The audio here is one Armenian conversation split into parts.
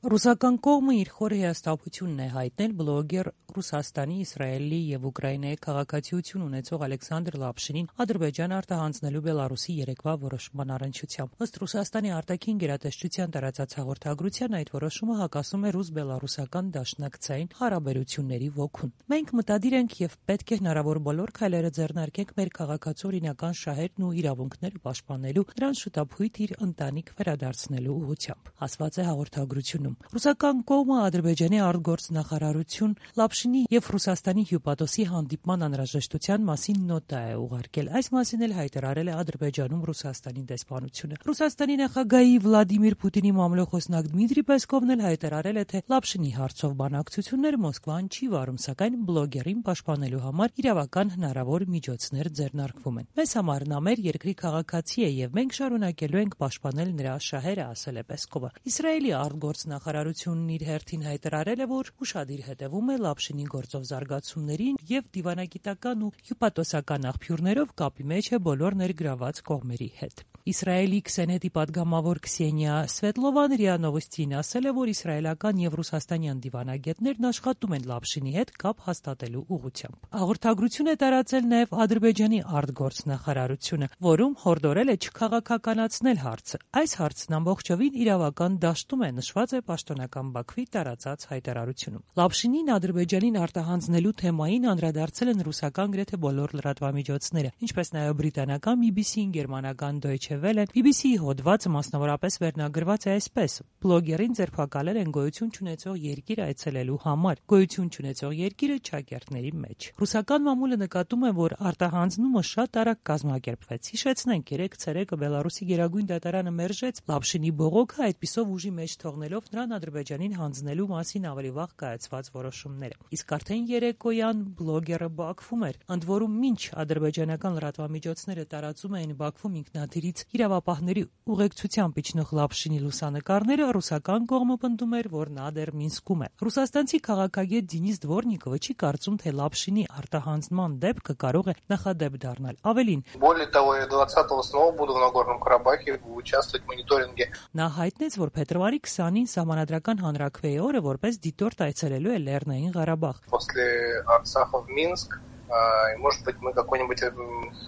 Ռուսական կողմը իր խոր հիասթափությունն է հայտնել բլոգեր Ռուսաստանի, Իսրայելի եւ Ուկրաինայի քաղաքացիություն ունեցող Ալեքսանդր Լապշինին Ադրբեջան արտահանձնելու Բելարուսի երեկվա որոշման առնչությամբ։ Ըստ Ռուսաստանի արտաքին գերատեսչության տարածած հաղորդագրության այդ որոշումը հակասում է ռուս-բելարուսական դաշնակցային հարաբերությունների ոգուն։ Մենք մտադիր ենք եւ պետք է հնարավոր բոլոր քայլերը ձեռնարկենք մեր քաղաքացու օրինական շահերն ու իրավունքները պաշտպանելու, նրան շուտապույտ իր ընտանիք վերադարձնելու ուղղությամբ, ասված է հաղորդագրությունում։ Ռուսական կողմը Ադրբեջանի արտգործնախարարություն Լապշինի եւ Ռուսաստանի հյուպատոսի հանդիպման անհրաժեշտության մասին նոտա է ուղարկել։ Այս մասին էլ հայտարարել է Ադրբեջանում Ռուսաստանի դեսպանությունը։ Ռուսաստանի նախագահի Վլադիմիր Պուտինի մամլոխոսնակ Դմիտրի Պեսկովն էլ հայտարարել է, թե Լապշինի հարցով բանակցություններ Մոսկվան չի վարում, սակայն բլոգերին պաշտպանելու համար իրավական հնարավոր միջոցներ ձեռնարկվում են։ Մեզ համար նա մեր երկրի քաղաքացի է եւ մենք շարունակելու ենք պաշտպանել նրա շահերը, ասել է Պեսկովը։ Իսրայելի արտգործնախարարությունն իր հերթին հայտարարել է, որ ուշադիր հետևում է Լապշինի գործով զարգացումներին եւ դիվանագիտական ու հյուպատոսական աղբյուրներով կապի մեջ է բոլոր ներգրաված կողմերի հետ։ Իսրայելի Քսենետի պատգամավոր Քսենիա Սվետլովան ՌԻԱ Նովոստին ասել է, որ իսրայելական եւ ռուսաստանյան դիվանագետներն աշխատում են Լապշինի հետ կապ հաստատելու ուղղությամբ։ Հաղորդագրություն է տարածել նաեւ Ադրբեջանի արտգործնախարարությունը, որում հորդորել է չքաղաքականացնել հարցը։ Այս հարցն ամբողջովին իրավական դաշտում է, նշված է պաշտոնական Բաքվի տարածած հայտարարությունում։ Լապշինին Ադրբեջանին արտահանձնելու թեմային անդրադարձել են ռուսական գրեթե բոլոր լրատվամիջոցները, ինչպես նաեւ բրիտանական BBC-ին, գերմանական Deutsche Welle-ն, BBC-ի հոդվածը մասնավորապես վերնագրված է այսպես. բլոգերին ձերբակալել են գոյություն չունեցող երկիր այցելելու համար, գոյություն չունեցող երկիրը ճակերտների մեջ։ Ռուսական մամուլը նկատում է, որ արտահանձնումը շատ արագ կազմակերպվեց։ Հիշեցնենք, երեկ ցերեկը Բելարուսի գերագույն դատարանը մերժեց Լապշինի բողոքը, այդպիսով ուժի մեջ թողնելով նրան Ադրբեջանին հանձնելու մասին ավելի վաղ կայացված որոշումները։ Իսկ արդեն երեկոյան բլոգերը Բաքվում էր, ընդ որում մինչ ադրբեջանական լրատվամիջոցները տարածում էին Բաքվում ինքնաթիռից իրավապահների ուղեկցությամբ իջնող Լապշինի լուսանկարները, ռուսական կողմը պնդում էր, որ նա դեռ Մինսկում է։ Ռուսաստանցի քաղաքագետ Դենիս Դվորնիկովը չի կարծում, թե Լապշինի արտահանձնման դեպքը կարող է նախադեպ դառնալ։ Ավելին, более того, я 20-го снова буду в Нагорном Карабахе участвовать в мониторинге. Նա հայտնեց, որ փետրվարի 20-ին Սահմանադրական հանրաքվեի օրը որպես դիտորդ այցելելու է Լեռնային Ղարաբաղ։ После Арцаха в Минск, и, может быть, мы какой-нибудь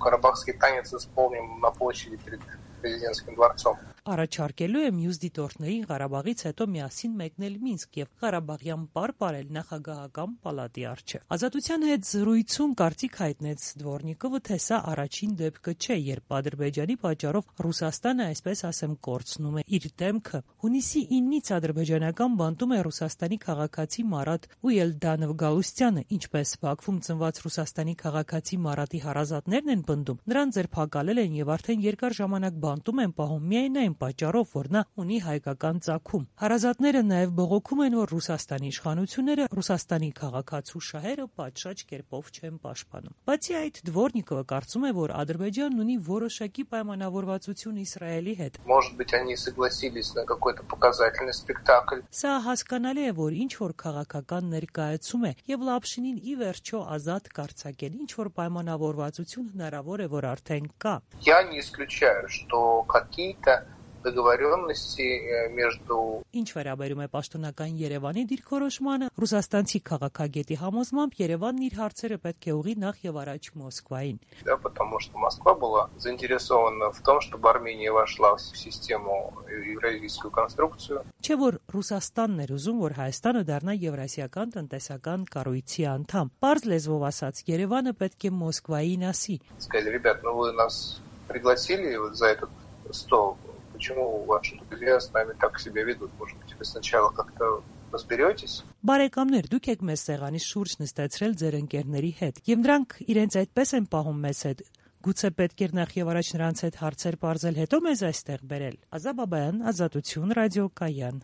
карабахский танец исполним на площади перед президентским дворцом. Առաջարկելու է մյուս դիտորդներին Ղարաբաղից հետո միասին մեկնել Մինսկ եւ Ղարաբաղյան պար ապրել նախագահական պալատի առջև։ Ազատության հետ զրույցում կարծիք հայտնեց Դվորնիկովը, թե սա առաջին դեպքը չէ, երբ Ադրբեջանի պատճառով Ռուսաստանը, այսպես ասեմ, կորցնում է իր դեմքը։ Հունիսի 9-ից ադրբեջանական բանտում է Ռուսաստանի քաղաքացի Մարատ Ուելդանով Գալուստյանը, ինչպես Բաքվում ծնված Ռուսաստանի քաղաքացի Մարատի հարազատներն են պնդում, նրան ձերբակալել են եւ արդեն երկար ժամանակ բանտում են պահում միայն այն պատճառով, որ նա ունի հայկական ծագում։ Հարազատները նաև բողոքում են, որ Ռուսաստանի իշխանությունները Ռուսաստանի քաղաքացու շահերը պատշաճ կերպով չեն պաշտպանում։ Բացի այդ, Դվորնիկովը կարծում է, որ Ադրբեջանն ունի որոշակի պայմանավորվածություն Իսրայելի հետ։ Может быть, они согласились на какой-то показательный спектакль. Սա հասկանալի է, որ ինչ որ քաղաքական ներկայացում է եւ Լապշինին ի վերջո ազատ կարծակել, ինչ որ պայմանավորվածություն հնարավոր է, որ արդեն կա։ Я не исключаю, что какие-то договоренности между Ինչ վերաբերում է պաշտոնական Երևանի դիրքորոշմանը, ռուսաստանցի քաղաքագետի համոզմամբ Երևանն իր հարցերը պետք է ուղղի նախ եւ առաջ Մոսկվային։ Да, потому что Москва была заинтересована в том, чтобы Армения вошла в систему евразийскую конструкцию. Չէ որ Ռուսաստանն էր уզում, որ Հայաստանը դառնա Եվրասիական տնտեսական կառույցի անդամ։ Պարզ լեզվով ասած, Երևանը պետք է Մոսկվային ասի։ Сказали, ребят, ну вы нас пригласили вот за этот стол. Почему ваши друзья с нами так себя ведут? Может быть, вы сначала как-то разберетесь? Բարեկամներ, դուք եք մեզ սեղանի շուրջ նստեցրել ձեր ընկերների հետ, եւ նրանք իրենց այդպես են պահում մեզ հետ։ Գուցե պետք էր նախ եւ առաջ նրանց հետ հարցեր բարձել, հետո մեզ այստեղ բերել։ Ազա Բաբայան, Ազատություն, ռադիոկայան։